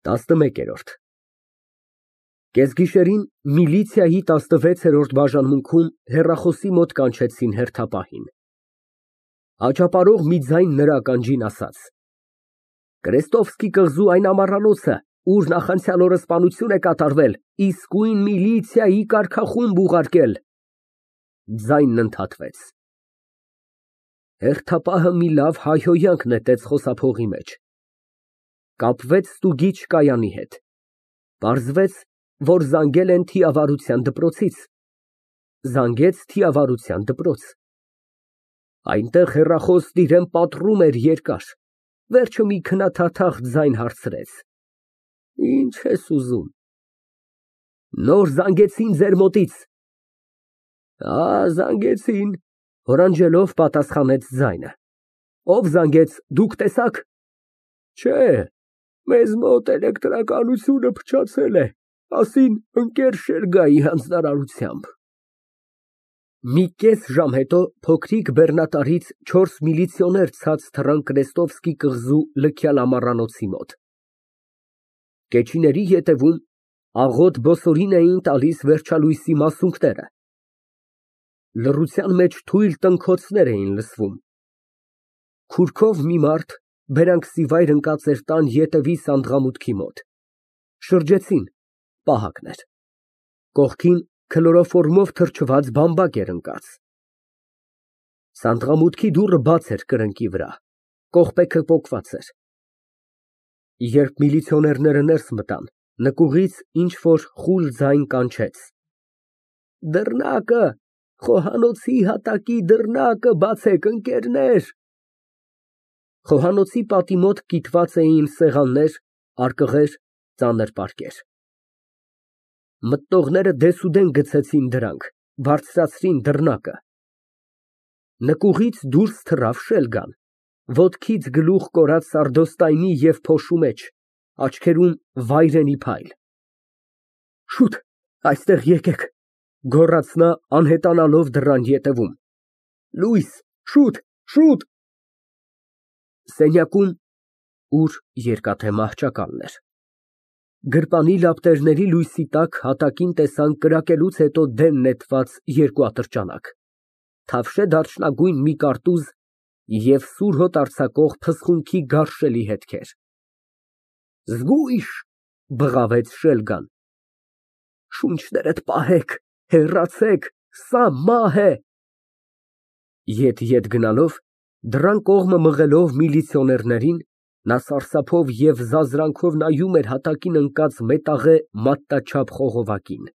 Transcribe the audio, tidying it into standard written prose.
11։ Կեսգիշերին միլիցիայի 16-րդ բաժանմունքում հեռախոսի մոտ կանչեցին հերթապահին։ Աճապարող մի ձայն նրա ականջին ասաց. Կրեստովսկի կղզու այն ամառանոցը, ուր նախանցյալ օրը սպանություն է կատարվել, իսկույն միլիցիայի կարգախումբ ուղարկել։ Ձայնն ընդհատվեց։ Հերթապահը մի լավ հայհոյանք նետեց խոսափողի մեջ։ Կապվեց ստուգիչ Կայանի հետ։ Պարզվեց, որ զանգել են թիավարության դպրոցից։ Զանգեց թիավարության դպրոց։ Այնտեղ հեռախոսն իրան պատռում էր երկար, վերջը մի քննադատախ ձայն հարցրեց. Ինչ ես ուզում։ Նոր զանգեցին ձեր մոտից։ Զանգեցին, հորանջելով պատասխանեց ձայնը։ Ով զանգեց, դուք տեսաք։ Չէ, մեզ մոտ էլեկտրականությունը փչացել է, ասին ընկեր Շերգայի հանձնարարությամբ։ Մի կես ժամ հետո փոքրիկ բեռնատարից 4 միլիցիոներ ցած թռան Կրեստովսկի կղզու լքյալ ամառանոցի մոտ։ Կեչիների ետևում աղոտ բոսորին էին տալիս վերջալույսի մասունքները։ Լռության մեջ թույլ տնքոցներ էին լսվում։ Քուրքով մի մարդ բերանքսիվայր ընկած էր տան ետևի սանդղամուտքի մոտ։ Շրջեցին, պահակն էր։ Կողքին քլորոֆորմով թրջված բամբակ էր ընկած։ Սանդղամուտքի դուռը բաց էր կրկնակի վրա, կողպեքը պոկված էր։ Երբ միլիցիոներները ներս մտան, նկուղից ինչ֊որ խուլ ձայն կանչեց. Դռնակը, խոհանոցի հատակի դռնակը բացեք, ընկերներ։ Խոհանոցի պատի մոտ կիտված էին սեղաններ, արկղեր, ծանր պարկեր։ Մտնողները դեսուդեն գցեցին դրանք, բարձրացրին դռնակը։ Նկուղից դուրս թռավ Շելգան, ոտքից գլուխ կորած սարդոստայնի և փոշու մեջ, աչքերում վայրենի փայլ։ Շուտ, այստեղ եկեք, գոռաց նա անհետանալով դռան ետևում։ Լույս, շուտ, շուտ։ Սենյակում, ուր երկաթե մահճակալն էր։ Գրպանի լապտերների լույսի տակ հատակին տեսան կրակելուց հետո դեն նետված երկու ատրճանակ, թավշե դարչնագույն մի կարտուզ և սուր հոտ արձակող փսխունքի գարշելի հետքեր։ Զգույշ, բղավեց Շելգան։ Շունչներդ պահեք, հեռացեք, սա մահ է։ Ետ գնալով, դռան կողմը մղելով միլիցիոներներին, նա սարսափով և զազրանքով նայում էր հատակին ընկած մետաղե մատնաչափ խողովակին։